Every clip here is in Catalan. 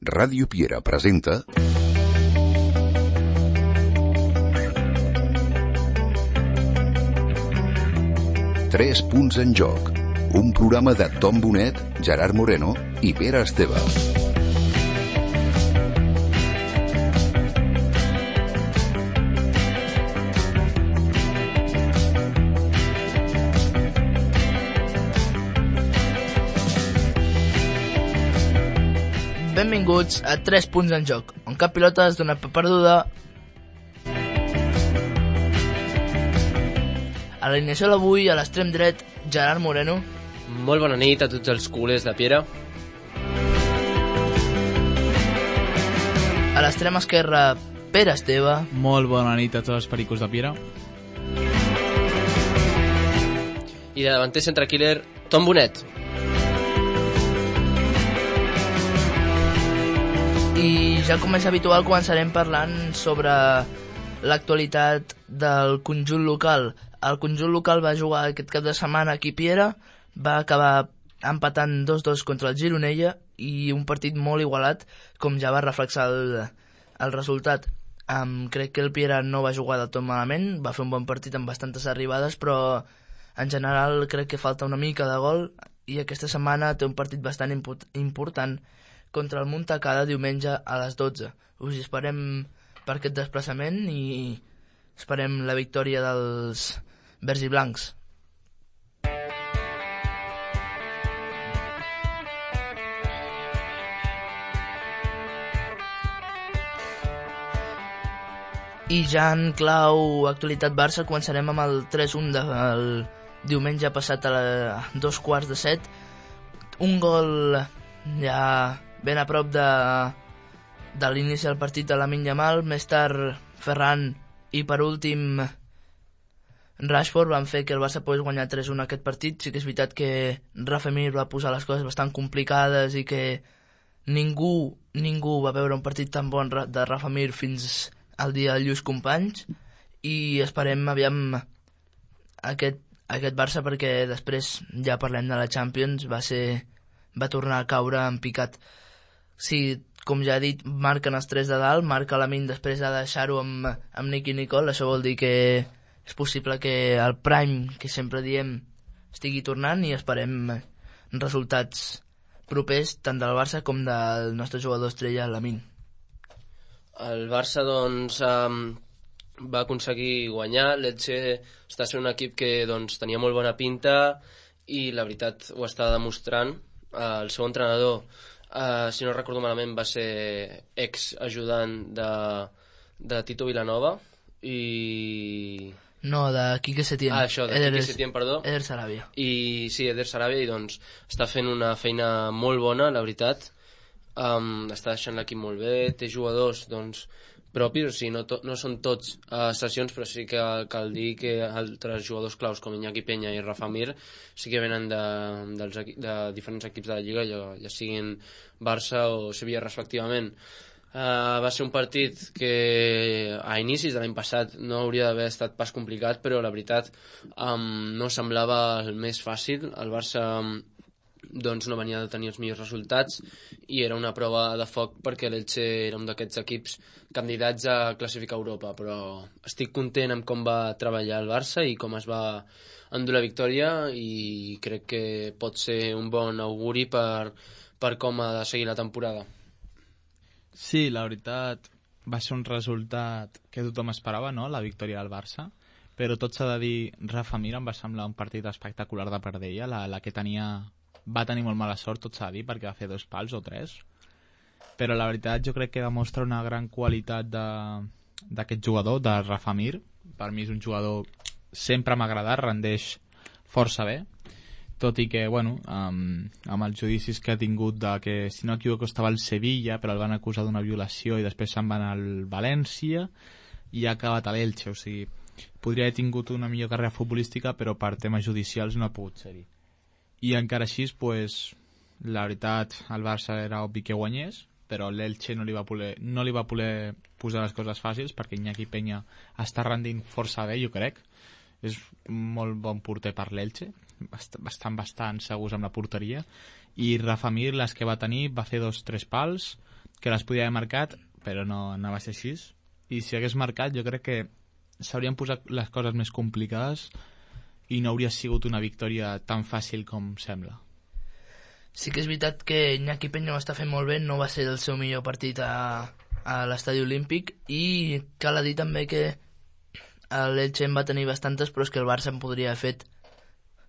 Ràdio Piera presenta Tres punts en joc, un programa de Tom Bonet, Gerard Moreno i Pere Esteve. Benvinguts a 3 punts en joc, on cap pilota es dona per perduda. A l'alineació d'avui, a l'extrem dret, Gerard Moreno. Molt bona nit a tots els culers de Piera. A l'extrem esquerre, Pere Esteve. Molt bona nit a tots els pericos de Piera. I de davanter centre killer, Tom Bonet. I ja com és habitual començarem parlant sobre l'actualitat del conjunt local. El conjunt local va jugar aquest cap de setmana aquí a Piera, va acabar empatant 2-2 contra el Gironella i un partit molt igualat, com ja va reflexar el resultat. Crec que el Piera no va jugar del tot malament, va fer un bon partit amb bastantes arribades, però en general crec que falta una mica de gol i aquesta setmana té un partit bastant important contra el Montacada diumenge a les 12. Us esperem per aquest desplaçament i esperem la victòria dels verds i blancs. I ja en clau actualitat Barça començarem amb el 3-1 del diumenge passat a 7:15. Un gol ja ben a prop de l'inici del partit de Lamine Yamal, més tard Ferran i per últim Rashford van fer que el Barça pogués guanyar 3-1 aquest partit. Sí que és veritat que Rafa Mir va posar les coses bastant complicades i que ningú va veure un partit tan bon de Rafa Mir fins al dia dels lluís companys i esperem aviam aquest Barça perquè després ja parlem de la Champions, va tornar a caure en picat. Sí, com ja he dit, marquen els 3 de dalt, marca Lamine després de deixar-ho amb Nicky Nicole. Això vol dir que és possible que el Prime, que sempre diem, estigui tornant i esperem resultats propers tant del Barça com del nostre jugador estrella, Lamine. El Barça, doncs, va aconseguir guanyar. L'Elche està sent un equip que doncs, tenia molt bona pinta i la veritat ho està demostrant. El seu entrenador, si no recordo malament, va ser ex-ajudant de Tito Vilanova i... No, de Quique Setién. Això, de Quique Setién, perdó. Eder Sarabia. I sí, Eder Sarabia, i doncs està fent una feina molt bona, la veritat. Està deixant l'equip molt bé, té jugadors doncs, propis, o sigui, no són tots sessions, però sí que cal dir que altres jugadors claus com Iñaki Peña i Rafa Mir sí que venen de diferents equips de la Lliga, ja siguin Barça o Sevilla respectivament. Va ser un partit que a inicis de l'any passat no hauria d'haver estat pas complicat, però la veritat no semblava el més fàcil. El Barça doncs no venia de tenir els millors resultats i era una prova de foc perquè l'Elche era un d'aquests equips candidats a classificar a Europa, però estic content amb com va treballar el Barça i com es va endur la victòria i crec que pot ser un bon auguri per com ha de seguir la temporada. Sí, la veritat va ser un resultat que tothom esperava, no?, la victòria del Barça, però tot s'ha de dir, Rafa Mir em va semblar un partit espectacular de part d'ella, la que va tenir molt mala sort, tot s'ha de dir, perquè va fer 2 pals o 3, però la veritat jo crec que demostra una gran qualitat d'aquest jugador, de Rafa Mir. Per mi és un jugador, sempre m'ha agradat, rendeix força bé, tot i que, bueno, amb els judicis que ha tingut de que, si no equivoco, estava al Sevilla, però el van acusar d'una violació i després se'n van al València i ha acabat a l'Elche, o sigui, podria haver tingut una millor carrera futbolística, però per temes judicials no ha pogut ser-hi. I encara així, pues, la veritat, el Barça era obvi que guanyés, però l'Elche no li va poder posar les coses fàcils perquè Iñaki Peña està rendint força bé, jo crec. És molt bon porter per l'Elche, bastant segurs amb la porteria, i Rafa Mir, les que va tenir, va fer 2-3 pals, que les podia haver marcat, però no va ser així. I si hagués marcat, jo crec que s'haurien posat les coses més complicades i no hauria sigut una victòria tan fàcil com sembla. Sí que és veritat que Iñaki Peña ho està fent molt bé, no va ser el seu millor partit a l'estadi olímpic, i cal dir també que l'Elche en va tenir bastantes, però és que el Barça en podria haver fet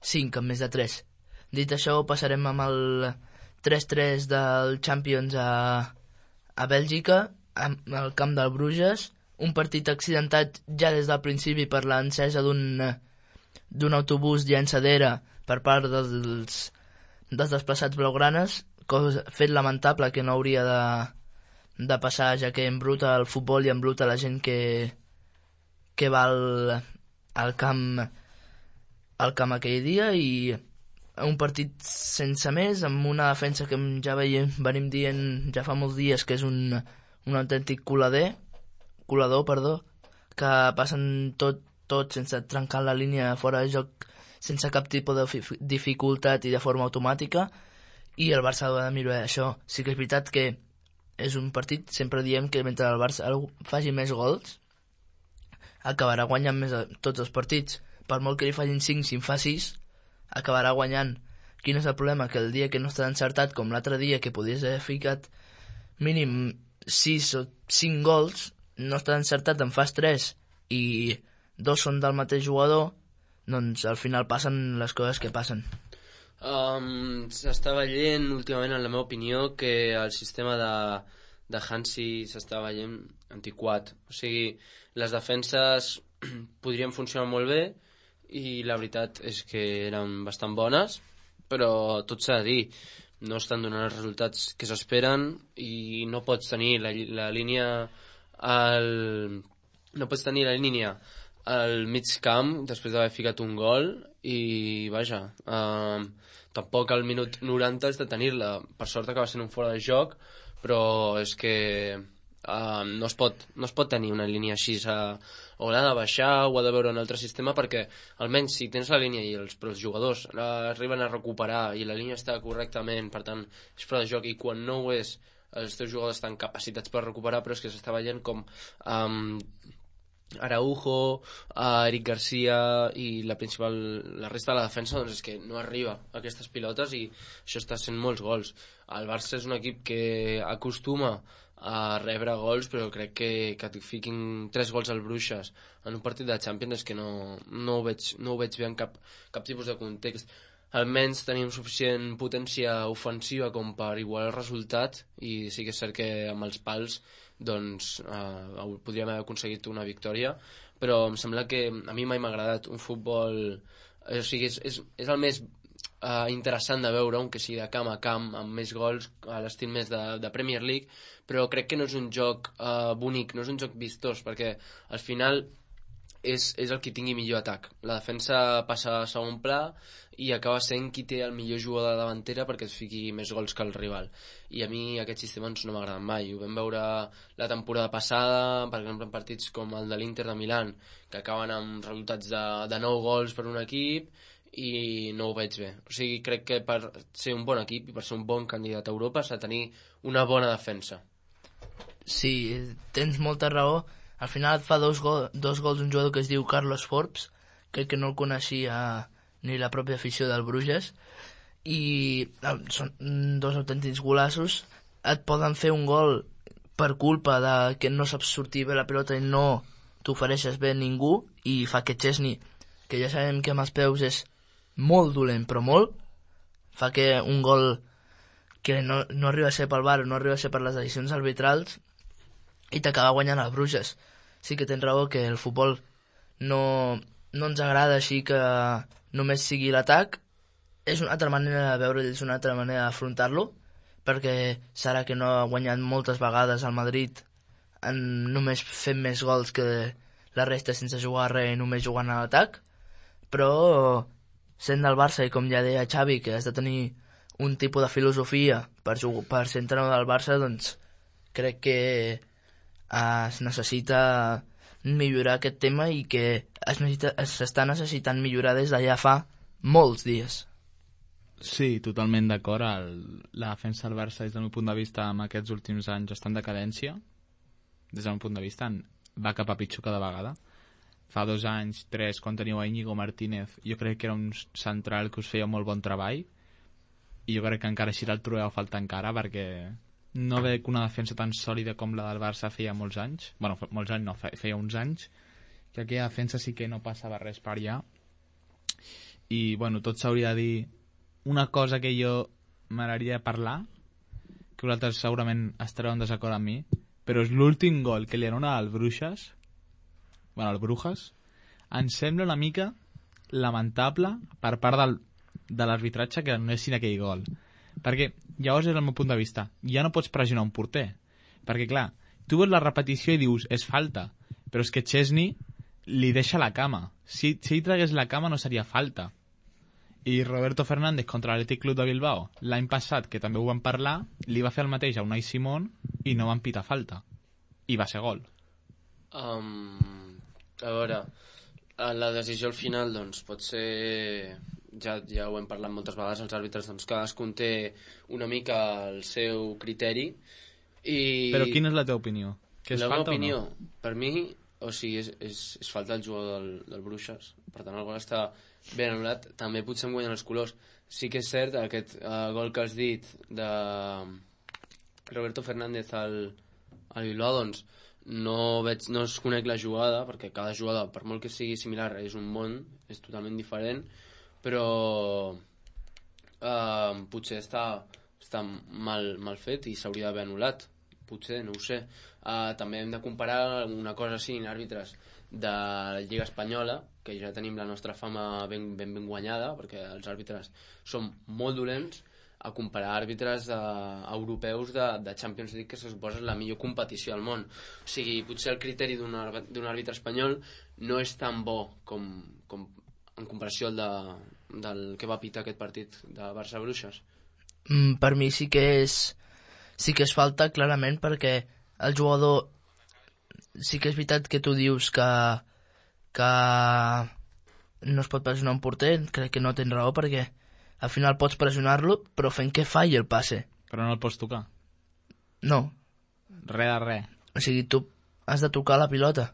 5 en més de 3. Dit això, passarem amb el 3-3 del Champions a Bèlgica, al camp del Bruges, un partit accidentat ja des del principi per l'encesa d'un autobús llançadera per part dels desplaçats blaugranes, fet lamentable que no hauria de passar, ja que embruta el futbol i embruta la gent que va al camp aquell dia, i un partit sense més, amb una defensa que ja venim dient ja fa molts dies que és un autèntic colador, que passen tot sense trencar la línia fora de joc, sense cap tipus de dificultat i de forma automàtica, i el Barça ha de millorar això. Sí que és veritat que és un partit, sempre diem que mentre el Barça faci més gols, acabarà guanyant més tots els partits. Per molt que li facin 5, si en fa 6, acabarà guanyant. Quin és el problema? Que el dia que no està encertat, com l'altre dia, que podies haver ficat mínim 6 o 5 gols, no està encertat, en fas 3 i 2 són del mateix jugador, doncs al final passen les coses que passen. S'està veient últimament, en la meva opinió, que el sistema de Hansi s'està veient antiquat. O sigui, les defenses podrien funcionar molt bé i la veritat és que eren bastant bones, però tot s'ha de dir, no estan donant els resultats que s'esperen, i no pots tenir la línia al mig camp després d'haver ficat un gol, i vaja, tampoc al minut 90 has de tenir-la. Per sort acaba sent un fora de joc, però és que no es pot tenir una línia així, o l'ha de baixar o ha de veure un altre sistema, perquè almenys si tens la línia i els jugadors arriben a recuperar i la línia està correctament, per tant és fora de joc, i quan no ho és els teus jugadors estan capacitats per recuperar, però és que s'està veient com Araujo, Eric Garcia i la resta de la defensa, doncs és que no arriba a aquestes pilotes, i això està sent molts gols. El Barça és un equip que acostuma a rebre gols, però crec que et fiquin 3 gols al Bruixes en un partit de Champions és que no ho veig bé en cap tipus de context. Almenys tenim suficient potència ofensiva com per igualar el resultat, i sí que és cert que amb els pals doncs podríem haver aconseguit una victòria, però em sembla que a mi mai m'ha agradat un futbol, o sigui, és el més interessant de veure, aunque sigui de camp a camp, amb més gols, a l'estil més de Premier League, però crec que no és un joc bonic, no és un joc vistós, perquè al final és el qui tingui millor atac. La defensa passa a segon pla i acaba sent qui té el millor jugador de davantera perquè es fiqui més gols que el rival. I a mi aquest sistema no m'ha agradat mai. Ho vam veure la temporada passada, per exemple, en partits com el de l'Inter de Milán, que acaben amb resultats de 9 gols per un equip, i no ho veig bé. O sigui, crec que per ser un bon equip i per ser un bon candidat a Europa s'ha de tenir una bona defensa. Sí, tens molta raó. Al final et fa dos gols un jugador que es diu Carlos Forbes, crec que no el coneixia ni la pròpia afició del Bruges, i són 2 autèntics golassos. Et poden fer un gol per culpa de que no saps sortir bé la pilota i no t'ofereixes bé a ningú, i fa que Chesney, que ja sabem que amb els peus és molt dolent, però molt, fa que un gol que no arriba a ser pel VAR, no arriba a ser per les decisions arbitrals, i t'acaba guanyant el Bruges. Sí que tens raó que el futbol no ens agrada així que només sigui l'atac. És una altra manera de veure'l, és una altra manera d'afrontar-lo, perquè serà que no ha guanyat moltes vegades al Madrid només fent més gols que la resta sense jugar res i només jugant a l'atac, però sent del Barça, i com ja deia Xavi, que has de tenir un tipus de filosofia per ser entrenador del Barça, doncs crec que es necessita millorar aquest tema, i que s'està necessitant millorar des de ja fa molts dies. Sí, totalment d'acord. La defensa del Barça, des del meu punt de vista, en aquests últims anys està en decadència. Des del meu punt de vista, va cap a pitjor cada vegada. Fa 2 anys, 3, quan teníeu a Íñigo Martínez, jo crec que era un central que us feia molt bon treball, i jo crec que encara així el trobeu a falta encara, perquè no veig una defensa tan sòlida com la del Barça feia molts anys. Bueno, molts anys no, feia uns anys, que aquella defensa sí que no passava res per allà. I, bueno, tot s'hauria de dir una cosa que jo m'agradaria parlar, que vosaltres segurament estareu en desacord amb mi, però és l'últim gol que li anona al Bruixes, bueno, al Brujas, em sembla una mica lamentable per part de l'arbitratge que anessin aquell gol. Perquè llavors és el meu punt de vista, ja no pots pressionar un porter, perquè clar, tu veus la repetició i dius és falta, però és que Chesney li deixa la cama. Si ell tragués la cama no seria falta. I Roberto Fernández contra l'Atlètic Club de Bilbao l'any passat, que també ho vam parlar, li va fer el mateix a Unai Simón i no van pitar falta, i va ser gol. A veure, la decisió al final doncs pot ser, ja ho hem parlat moltes vegades, els àrbitres doncs cadascun té una mica el seu criteri i... Però quina és la teva opinió? Que és la falta meva opinió, o no? per mi, o sigui, és falta el jugador del Bruixes, per tant el gol està ben anul·lat, també potser em guanyen els colors. Sí que és cert, aquest gol que has dit de Roberto Fernández al Bilbao, doncs no es conec la jugada, perquè cada jugada, per molt que sigui similar, és un món, és totalment diferent, però potser està mal fet i s'hauria d'haver anul·lat, potser, no ho sé. També hem de comparar una cosa així en àrbitres de la Lliga Espanyola, que ja tenim la nostra fama ben guanyada, perquè els àrbitres són molt dolents, a comparar àrbitres europeus de Champions League, que se suposa la millor competició al món. O sigui, potser el criteri d'un àrbitre espanyol no és tan bo com en comparació al del que va pitar aquest partit de Barça-Bruixes. Per mi sí que és falta, clarament, perquè el jugador... Sí que és veritat que tu dius que no es pot pressionar un porter, crec que no tens raó, perquè al final pots pressionar-lo, però fent que falli el passe. Però no el pots tocar. No. Res de res. O sigui, tu has de tocar la pilota.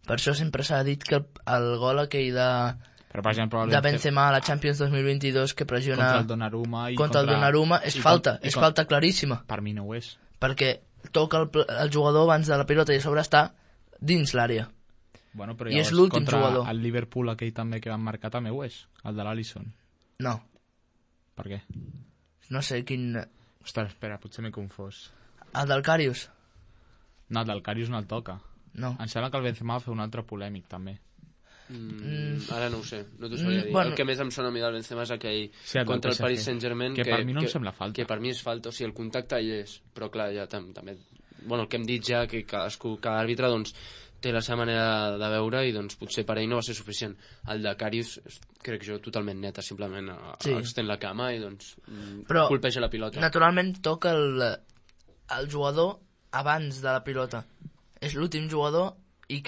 Per això sempre s'ha dit que el gol aquell però, per exemple, de Benzema a la Champions 2022 que pressiona contra el Donnarumma contra el Donnarumma és falta, és falta claríssima. Per mi no ho és. Perquè toca el jugador abans de la pilota i a sobre està dins l'àrea. Bueno, però I és l'últim jugador. El Liverpool aquell també que van marcar també ho és, el de l'Alisson. No. Per què? No sé quin... Ostres, espera, potser m'he confós. El del Karius? No, el del Karius no el toca. No. Em sembla que el Benzema va fer un altre polèmic, també. Ara no ho sé, no t'ho sabria dir. Bueno, el que més em sona a mi del Benzema és aquell sí, contra el Paris Saint-Germain que per mi no em sembla falta. que per mi és falta, o sigui, el contacte hi és, però clar, ja també bueno, el que hem dit ja, que cada àrbitre doncs té la seva manera de veure i doncs potser per ell no va ser suficient. El de Karius crec jo totalment neta, simplement extén la cama i doncs colpeja la pilota. Naturalment toca el jugador abans de la pilota. És l'últim jugador i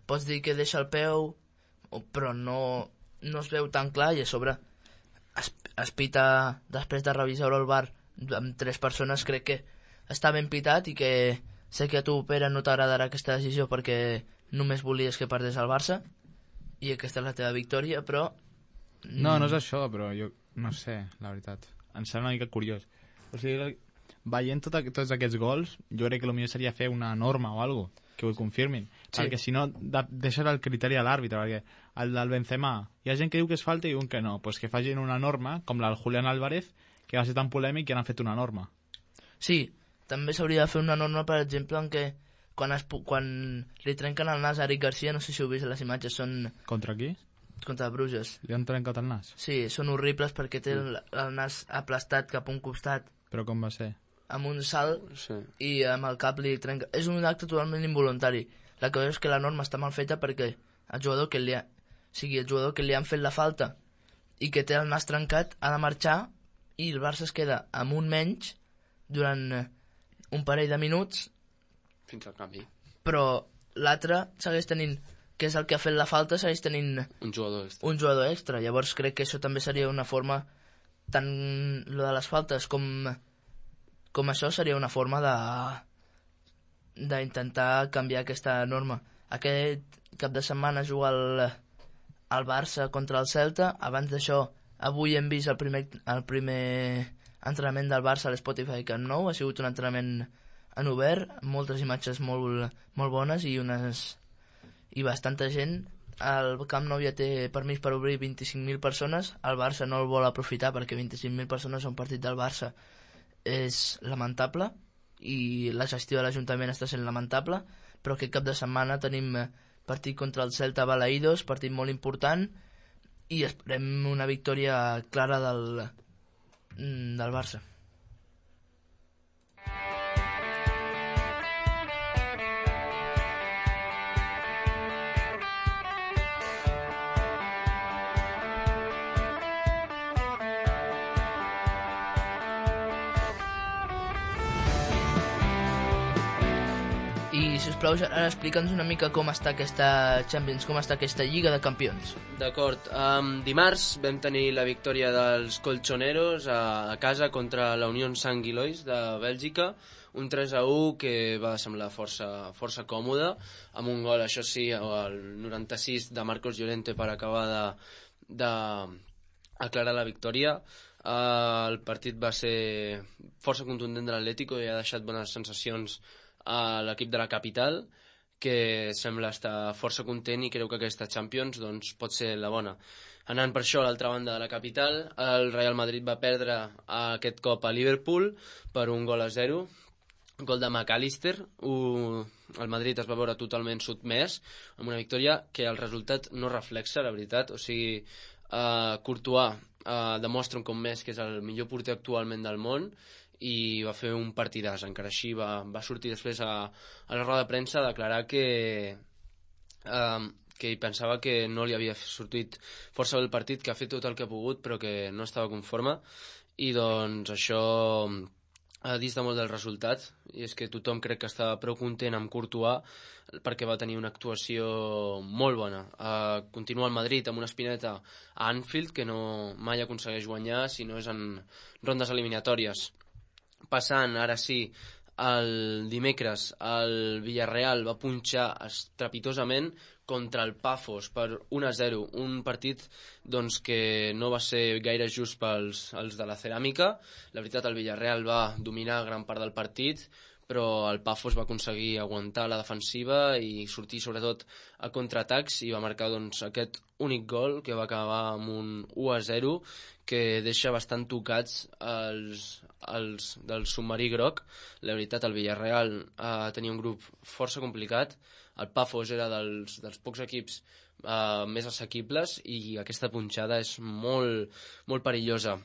pots dir que deixa el peu, però no es veu tan clar i a sobre es pita després de revisar el VAR amb 3 persones. Crec que està ben pitat i que sé que a tu, Pere, no t'agradarà aquesta decisió perquè només volies que perdés el Barça i aquesta és la teva victòria, però... No és això, però jo no sé, la veritat. Em sembla una mica curiós. O sigui, veient tots aquests gols, jo crec que el millor seria fer una norma o alguna cosa que ho confirmin, sí. Perquè si no deixes el criteri a l'àrbitre, perquè el del Benzema hi ha gent que diu que és falta i un que no, pues que facin una norma com la del Julián Álvarez, que va ser tan polèmic que han fet una norma. Sí, també s'hauria de fer una norma, per exemple, en què quan li trenquen el nas a Eric Garcia, no sé si heu vist les imatges, són... Contra qui? Contra Bruges. Li han trencat el nas? Sí, són horribles perquè té el nas aplastat cap a un costat. Però com va ser? Amb un salt, sí. I amb el cap li trenca... És un acte totalment involuntari. La cosa és que la norma està mal feta perquè el jugador que li han fet la falta i que té el nas trencat ha de marxar i el Barça es queda amb un menys durant un parell de minuts. Fins al canvi. Però l'altre segueix tenint, que és el que ha fet la falta, segueix tenint un jugador extra. Un jugador extra. Llavors crec que això també seria una forma tant lo de les faltes com això seria una forma d'intentar canviar aquesta norma. Aquest cap de setmana juga el Barça contra el Celta. Abans d'això, avui hem vist el primer entrenament del Barça a l'Spotify Camp Nou. Ha sigut un entrenament en obert, amb moltes imatges molt bones i bastanta gent. El Camp Nou ja té permís per obrir 25.000 persones. El Barça no el vol aprofitar perquè 25.000 persones a un partit del Barça és lamentable i la gestió de l'Ajuntament està sent lamentable, però aquest cap de setmana tenim partit contra el Celta a Balaïdos, partit molt important, i esperem una victòria clara del Barça. I, sisplau, ara explica'ns una mica com està aquesta Champions, com està aquesta Lliga de Campions. D'acord. Dimarts vam tenir la victòria dels colchoneros a casa contra la Unión Saint-Gilloise de Bèlgica, un 3-1 que va semblar força còmode, amb un gol, això sí, al 96 de Marcos Llorente per acabar d'aclarar la victòria. El partit va ser força contundent de l'Atlético i ha deixat bones sensacions a l'equip de la capital, que sembla estar força content i creu que aquesta Champions doncs, pot ser la bona. Anant per això a l'altra banda de la capital, el Real Madrid va perdre aquest cop a Liverpool per 1-0, gol de McAllister. El Madrid es va veure totalment sotmès, amb una victòria que el resultat no reflexa, la veritat. O sigui, Courtois demostra un cop més que és el millor porter actualment del món, i va fer un partidàs. Encara així va sortir després a la roda de premsa a declarar que hi pensava que no li havia sortit força bé el partit, que ha fet tot el que ha pogut però que no estava conforme, i doncs això dista molt del resultat, i és que tothom crec que estava prou content amb Courtois perquè va tenir una actuació molt bona. Continua el Madrid amb una espineta a Anfield, que mai aconsegueix guanyar si no és en rondes eliminatòries. Passant, ara sí, el dimecres el Villarreal va punxar estrepitosament contra el Pafos per 1-0, un partit doncs, que no va ser gaire just pels de la ceràmica. La veritat, el Villarreal va dominar gran part del partit, però el Pafos va aconseguir aguantar la defensiva i sortir sobretot a contraatacs i va marcar doncs, aquest únic gol que va acabar amb un 1-0 que deixa bastant tocats els del submarí groc. La veritat, el Villarreal tenia un grup força complicat. El Pafos era dels pocs equips més assequibles i aquesta punxada és molt, molt perillosa.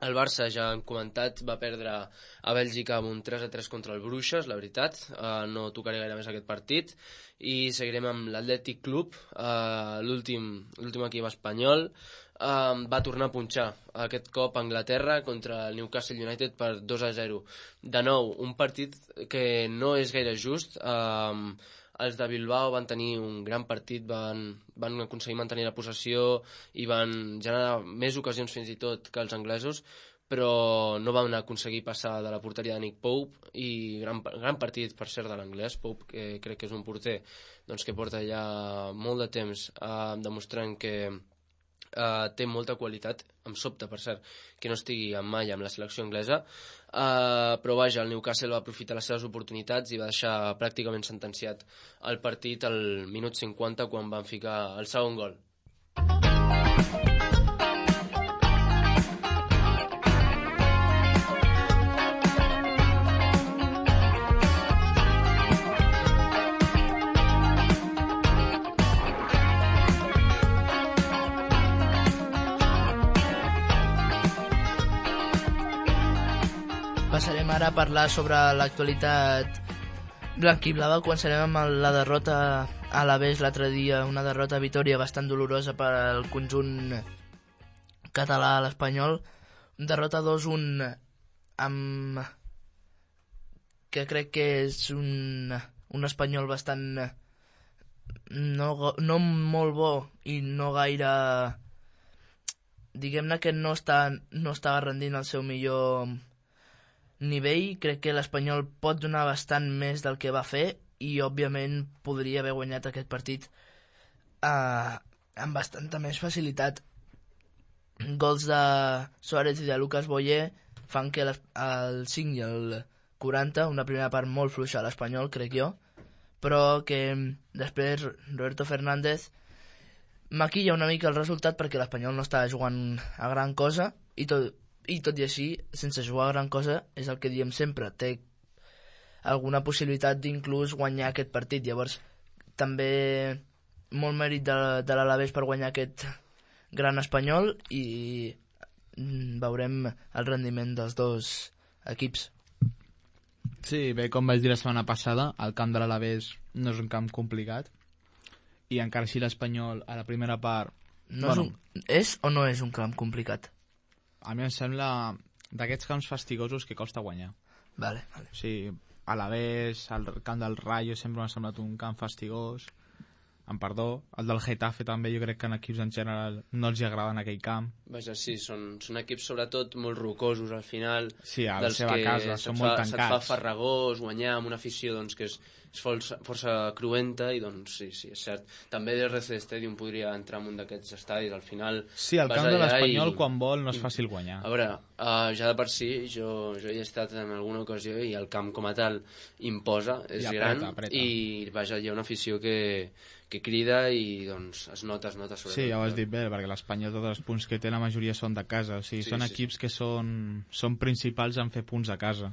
El Barça, ja hem comentat, va perdre a Bèlgica amb un 3-3 contra el Bruixes, la veritat. No tocaré gaire més aquest partit. I seguirem amb l'Atlètic Club, l'últim equip espanyol. Va tornar a punxar aquest cop a Anglaterra contra el Newcastle United per 2-0. De nou, un partit que no és gaire just. Els de Bilbao van tenir un gran partit, van aconseguir mantenir la possessió i van generar més ocasions fins i tot que els anglesos, però no van aconseguir passar de la porteria de Nick Pope, i gran partit, per cert, de l'anglès. Pope, que crec que és un porter doncs, que porta ja molt de temps demostrant que té molta qualitat. Em sobta, per cert, que no estigui mai amb la selecció anglesa, però vaja, el Newcastle va aprofitar les seves oportunitats i va deixar pràcticament sentenciat el partit al minut 50 quan van ficar el segon gol. Passarem ara a parlar sobre l'actualitat blanquiblava. Començarem amb la derrota a l'Aves l'altre dia, una derrota a Vitòria bastant dolorosa per al conjunt català a l'Espanyol. Derrota 2-1 amb que crec que és un Espanyol bastant no molt bo i no gaire diguem-ne que no estava rendint el seu millor nivell. Crec que l'Espanyol pot donar bastant més del que va fer i òbviament podria haver guanyat aquest partit amb bastanta més facilitat. Gols de Suárez i de Lucas Boyer fan que el 5 i el 40, una primera part molt fluixa a l'Espanyol, crec jo, però que després Roberto Fernández maquilla una mica el resultat perquè l'Espanyol no estava jugant a gran cosa i tot i així, sense jugar a gran cosa, és el que diem sempre, té alguna possibilitat d'inclús guanyar aquest partit. Llavors, també molt mèrit de l'Alavés per guanyar aquest gran Espanyol i veurem el rendiment dels dos equips. Sí, bé, com vaig dir la setmana passada, el camp de l'Alavés no és un camp complicat i encara així l'Espanyol a la primera part... És o no és un camp complicat? A mi em sembla d'aquests camps fastigosos que costa guanyar. Vale. O sigui, Alavés, el camp del Rayo sempre m'ha semblat un camp fastigós, amb perdó. El del Getafe també, jo crec que en equips en general no els agrada en aquell camp. Vaja, sí, són equips sobretot molt rocosos al final. Sí, a la seva casa, són molt tancats. Se't fa farragós guanyar amb una afició doncs, que és força cruenta i doncs sí, és cert. També l'RC Stadium podria entrar en un d'aquests estadis, al final... Sí, el camp de l'Espanyol quan vol no és fàcil guanyar. A veure, ja de per si, jo hi he estat en alguna ocasió i el camp com a tal imposa, és gran, i vaja, hi ha una afició que crida i doncs es nota sobretot. Sí, ja ho has dit bé, perquè l'Espanyol tots els punts que té la majoria són de casa, o sigui, són equips que són principals en fer punts a casa.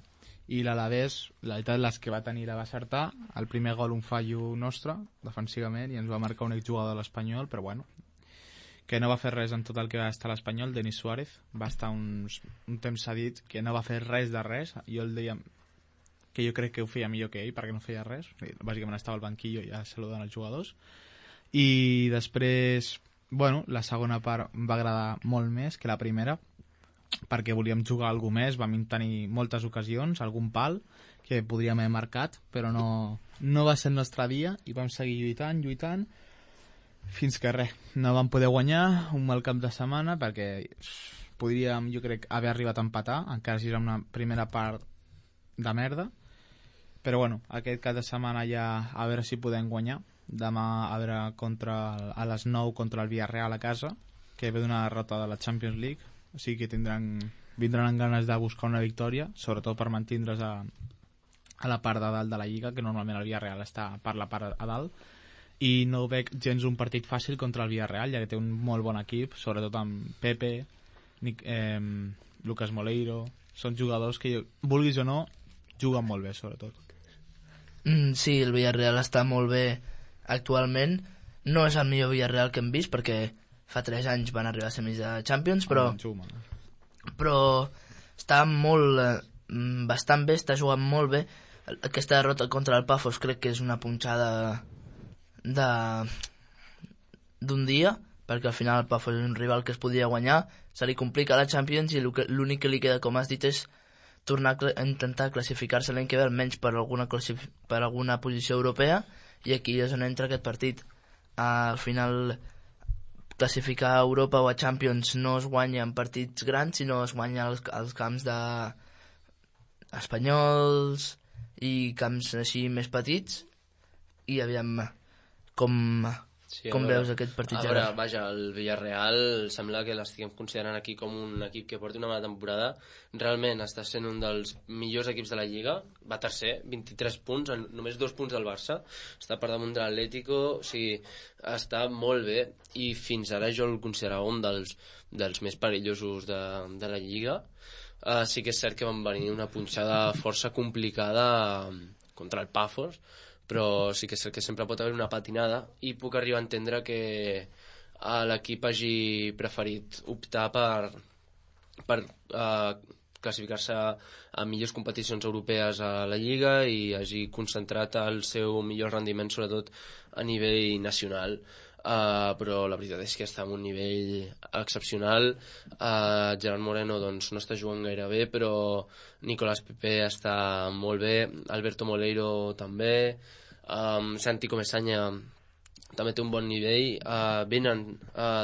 I l'Alavés, la veritat, les que va tenir la va acertar. El primer gol un fallo nostre, defensivament, i ens va marcar un exjugador de l'Espanyol, però bueno, que no va fer res en tot el que va estar l'Espanyol. Denis Suárez va estar un temps cedit que no va fer res de res. Jo el deia que jo crec que ho feia millor que ell perquè no feia res, bàsicament estava al banquillo ja saludant els jugadors. I després, bueno, la segona part em va agradar molt més que la primera, perquè volíem jugar alguna més, vam tenir moltes ocasions, algun pal que podríem haver marcat, però no va ser el nostre dia i vam seguir lluitant fins que res, no vam poder guanyar un mal cap de setmana perquè podríem, jo crec, haver arribat a empatar, encara si era una primera part de merda, però bueno, aquest cap de setmana ja a veure si podem guanyar. Demà a veure a les 9 contra el Villarreal a casa, que ve d'una derrota de la Champions League, o sigui que vindran amb ganes de buscar una victòria, sobretot per mantindre's a la part de dalt de la Lliga, que normalment el Villarreal està per la part a dalt, i no veig gens un partit fàcil contra el Villarreal, ja que té un molt bon equip, sobretot amb Pepe, Lucas Moleiro, són jugadors que, vulguis o no, juguen molt bé, sobretot. Sí, el Villarreal està molt bé actualment. No és el millor Villarreal que hem vist, perquè fa 3 anys van arribar a semis de Champions, però està bastant bé, està jugant molt bé. Aquesta derrota contra el Pafos crec que és una punxada d'un dia, perquè al final el Pafos és un rival que es podia guanyar, se li complica la Champions i l'únic que li queda, com has dit, és tornar a intentar classificar-se l'any que ve almenys per alguna posició europea, i aquí és on entra aquest partit. Al final classificar a Europa o a Champions no es guanya en partits grans, sinó es guanya als camps espanyols i camps així més petits, i aviam com veus aquest partit. A veure, vaja, el Villarreal sembla que l'estiguem considerant aquí com un equip que porta una mala temporada. Realment està sent un dels millors equips de la Lliga, va tercer, 23 punts, només 2 punts del Barça, està per damunt de l'Atlético, o sigui, està molt bé, i fins ara jo el considerava un dels més perillosos de la Lliga. Sí que és cert que van venir una punxada força complicada contra el Pafos, però sí que és cert que sempre pot haver una patinada, i puc arribar a entendre que l'equip hagi preferit optar per classificar-se a millors competicions europees a la Lliga i hagi concentrat el seu millor rendiment sobretot a nivell nacional. Però la veritat és que està en un nivell excepcional. Gerard Moreno doncs no està jugant gaire bé, però Nicolás Pepe està molt bé, Alberto Moleiro també, Santi Comesaña també té un bon nivell. Venen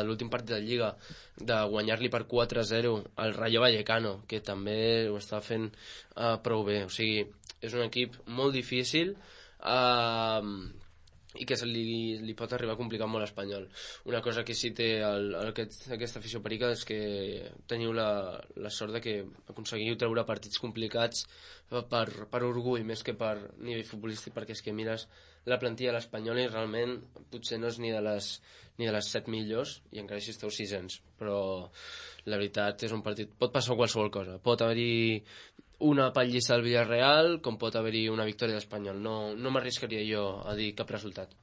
l'últim partit de Lliga de guanyar-li per 4-0 al Rayo Vallecano, que també ho està fent prou bé. O sigui, és un equip molt difícil i que li pot arribar a complicar molt l'Espanyol. Una cosa que sí té aquesta afició perica és que teniu la sort de que aconseguiu treure partits complicats per orgull més que per nivell futbolístic, perquè és que mires la plantilla de l'Espanyol i realment potser no és ni de les 7 millors i encara així esteu 600, però la veritat és un partit, pot passar qualsevol cosa, pot haver-hi una pallissa al Villarreal com pot haver-hi una victòria d'Espanyol. No m'arriscaria jo a dir cap resultat.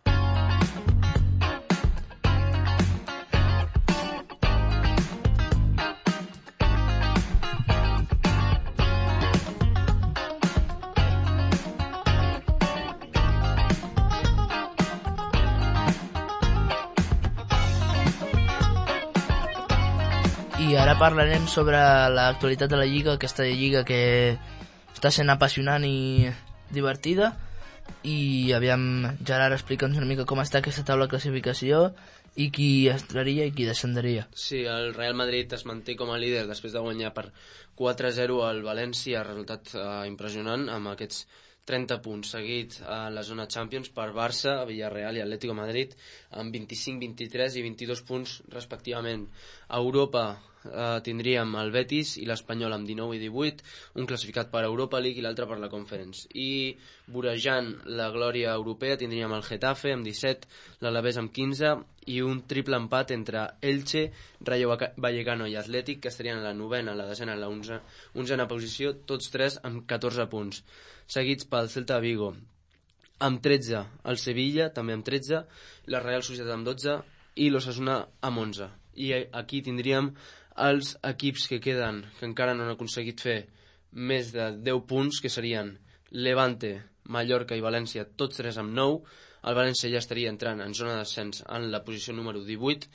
I ara parlarem sobre l'actualitat de la Lliga, aquesta Lliga que està sent apassionant i divertida. I aviam, Gerard, explica'ns una mica com està aquesta taula de classificació i qui entraria i qui descenderia. Sí, el Real Madrid es manté com a líder després de guanyar per 4-0 al València, resultat impressionant, amb aquests 30 punts, seguit a la zona Champions per Barça, Villarreal i Atlético Madrid, amb 25, 23 i 22 punts respectivament. A Europa tindríem el Betis i l'Espanyol amb 19 i 18, un classificat per Europa League i l'altre per la Conference. I vorejant la glòria europea tindríem el Getafe amb 17, l'Alavés amb 15 i un triple empat entre Elche, Rayo Vallecano i Atlètic, que estarien a la novena, la desena i la onzena posició, tots tres amb 14 punts. Seguits pel Celta Vigo amb 13, el Sevilla també amb 13, la Real Societat amb 12 i l'Osasuna amb 11. I aquí tindríem els equips que queden, que encara no han aconseguit fer més de 10 punts, que serien Levante, Mallorca i València, tots tres amb 9. El València ja estaria entrant en zona d'ascens en la posició número 18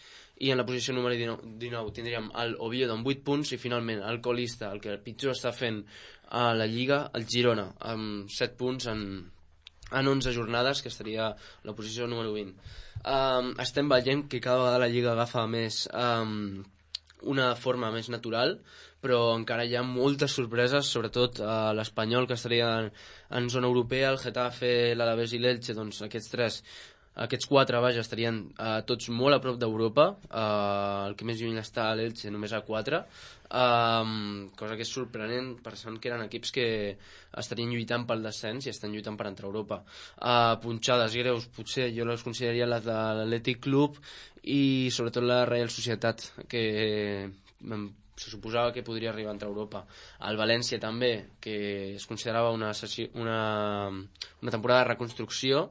i en la posició número 19 tindríem el Oviedo amb 8 punts i finalment el colista, el que pitjor està fent a la Lliga, el Girona, amb 7 punts en 11 jornades, que estaria a la posició número 20. Estem veient que cada vegada la Lliga agafa més una forma més natural, però encara hi ha moltes sorpreses, sobretot l'Espanyol, que estaria en zona europea, el Getafe, l'Alavés i l'Elche, doncs aquests quatre, vaja, estarien tots molt a prop d'Europa. El que més lluny està l'Elche, només a 4, cosa que és sorprenent, pensant que eren equips que estarien lluitant pel descens i estan lluitant per entrar a Europa. Punxades greus, potser jo les consideraria les de l'Atlètic Club i sobretot la Real Societat, que se suposava que podria arribar a entrar a Europa. El València també, que es considerava una temporada de reconstrucció,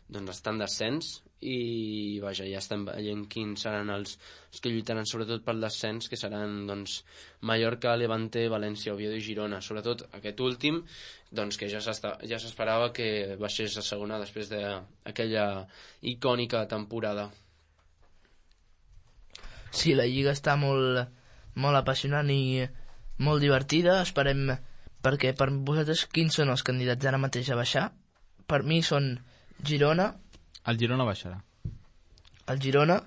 doncs està en descens i vaja, ja estem veient quins seran els que lluitaran sobretot pel descens, que seran doncs Mallorca, Levante, València, Oviedo i Girona. Sobretot aquest últim, doncs que ja s'esperava que baixés a segona després d'aquella icònica temporada. Sí, la Lliga està molt apassionant i molt divertida. Esperem, perquè per vosaltres quins són els candidats ara mateix a baixar? Per mi són Girona. El Girona baixarà. El Girona.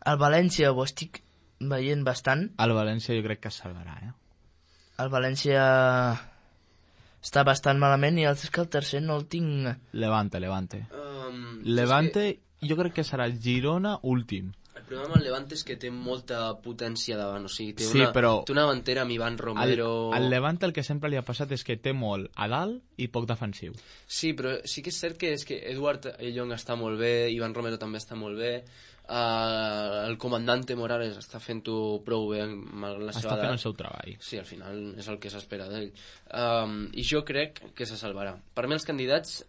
El València ho estic veient bastant. El València jo crec que es salvarà, El València està bastant malament i el tercer no el tinc. Levante. Levante jo crec que serà el Girona últim. El problema amb el Levante és que té molta potència davant, o sigui, té però una davantera amb Iván Romero. Al Levante el que sempre li ha passat és que té molt a dalt i poc defensiu. Sí, però sí que és cert que Eduard Ellong està molt bé, Iván Romero també està molt bé, el comandante Morales està fent-ho prou bé malgrat la seva edat. Està fent el seu treball. Sí, al final és el que s'espera d'ell. I jo crec que se salvarà. Per mi els candidats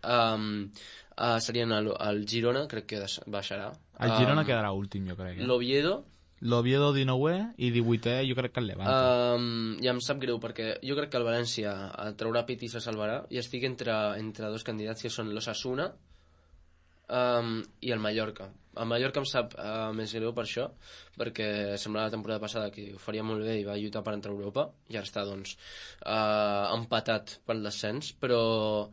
serien el Girona, crec que baixarà. El Girona quedarà últim, jo crec. L'Oviedo 19è i 18è jo crec que el Levante. Ja em sap greu perquè jo crec que el València traurà pit i se salvarà i estic entre dos candidats que són l'Osasuna i el Mallorca. El Mallorca em sap més greu per això, perquè semblava la temporada passada que ho faria molt bé i va lluitar per entrar a Europa i ara està doncs empatat pel descens, però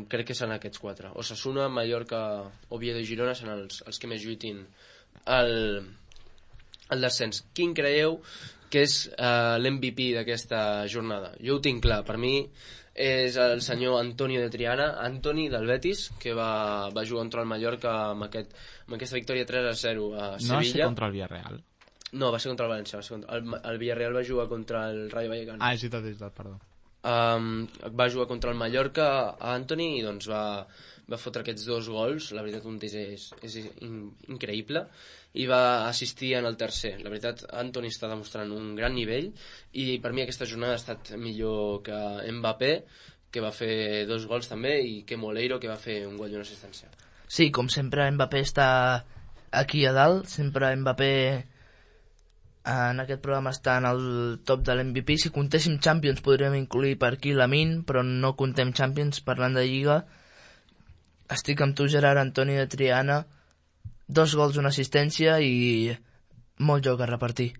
crec que seran aquests 4. Osasuna, Mallorca, Oviedo i Girona seran els que més lluitin el descens. Quin creieu que és l'MVP d'aquesta jornada? Jo ho tinc clar, per mi és el senyor Antonio de Triana, Antoni del Betis, que va jugar contra el Mallorca amb aquesta victòria 3-0 a Sevilla. No va ser contra el Villarreal? No, va ser contra el València. El Villarreal va jugar contra el Rayo Vallecano. És veritat, perdó. Va jugar contra el Mallorca a Antoni i doncs va fotre aquests 2 gols. La veritat, un és increïble, i va assistir en el tercer. La veritat, Antoni està demostrant un gran nivell, i per mi aquesta jornada ha estat millor que Mbappé, que va fer 2 gols també, i que Moleiro, que va fer un gol i una assistència. Sí, com sempre Mbappé està aquí a dalt, sempre Mbappé en aquest programa està en el top de l'MVP. Si comptéssim Champions podríem incluir per aquí Lamine, però no contem Champions. Parlant de Lliga, estic amb tu, Gerard. Antoni de Triana, 2 gols, una assistència i molt joc a repartir.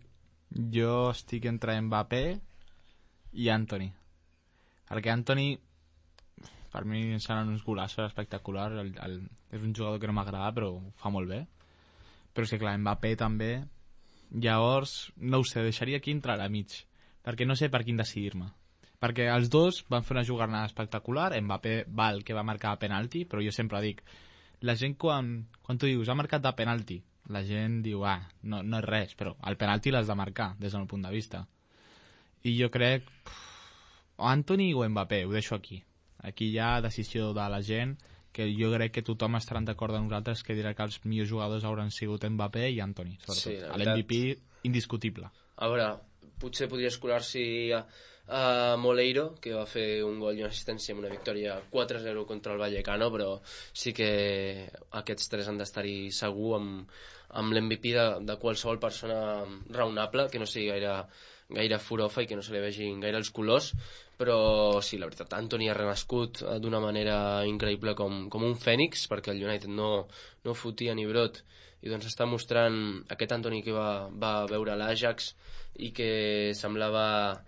Jo estic entre Mbappé i Antoni, perquè Antoni per mi seran uns golassos espectaculars. És un jugador que no m'agrada, però ho fa molt bé. Però sí, clar, Mbappé també. Llavors, no ho sé, deixaria aquí entrar a mig, perquè no sé per quin decidir-me. Perquè els dos van fer una jugada espectacular. Mbappé val que va marcar a penalti, però jo sempre dic, la gent quan tu dius ha marcat de penalti, la gent diu no és res, però el penalti l'has de marcar des del meu punt de vista. I jo crec o Antoni o Mbappé, ho deixo aquí. Aquí hi ha decisió de la gent, que jo crec que tothom estarà d'acord amb nosaltres, que dirà que els millors jugadors hauran sigut Mbappé i Antoni, sobretot. Sí, l'MVP indiscutible. A veure, potser podria escolar-s'hi a Moleiro, que va fer un gol i una assistència amb una victòria 4-0 contra el Vallecano, però sí que aquests 3 han d'estar-hi segur amb l'MVP de qualsevol persona raonable, que no sigui gaire furofa i que no se li vegin gaire els colors. Però sí, la veritat, Antoni ha renascut d'una manera increïble com un fènix, perquè el United no fotia ni brot, i doncs està mostrant aquest Antoni que va veure l'Ajax i que semblava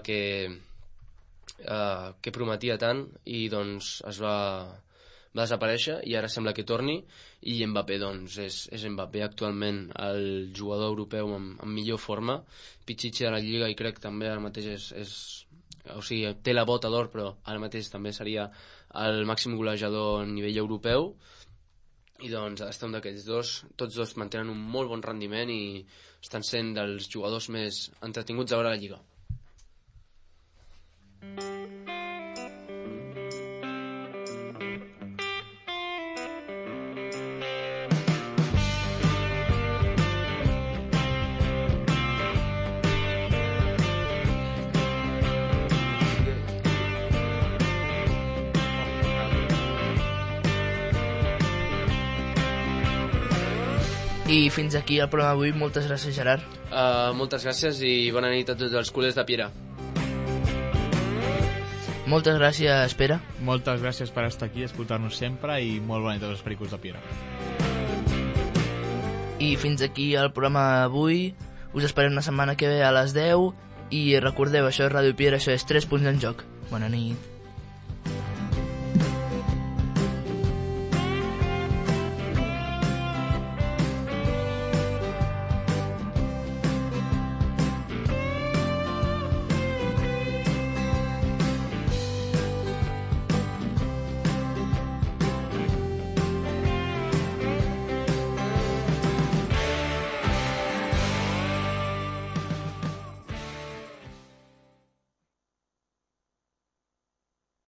que prometia tant, i doncs es va desaparèixer i ara sembla que torni. I Mbappé doncs és Mbappé actualment el jugador europeu amb millor forma, Pichichi de la Lliga, i crec també ara mateix o sigui, té la bota d'or, però ara mateix també seria el màxim golejador a nivell europeu. I doncs està un d'aquests dos. Tots dos mantenen un molt bon rendiment i estan sent dels jugadors més entretinguts a veure la Lliga. I fins aquí el programa d'avui. Moltes gràcies, Gerard. Moltes gràcies i bona nit a tots els culers de Piera. Moltes gràcies, Pere. Moltes gràcies per estar aquí, escoltar-nos sempre, i molt bona nit a tots els pericos de Piera. I fins aquí el programa d'avui. Us esperem la setmana que ve a les 10 i recordeu, això és Ràdio Piera, això és 3 punts en joc. Bona nit.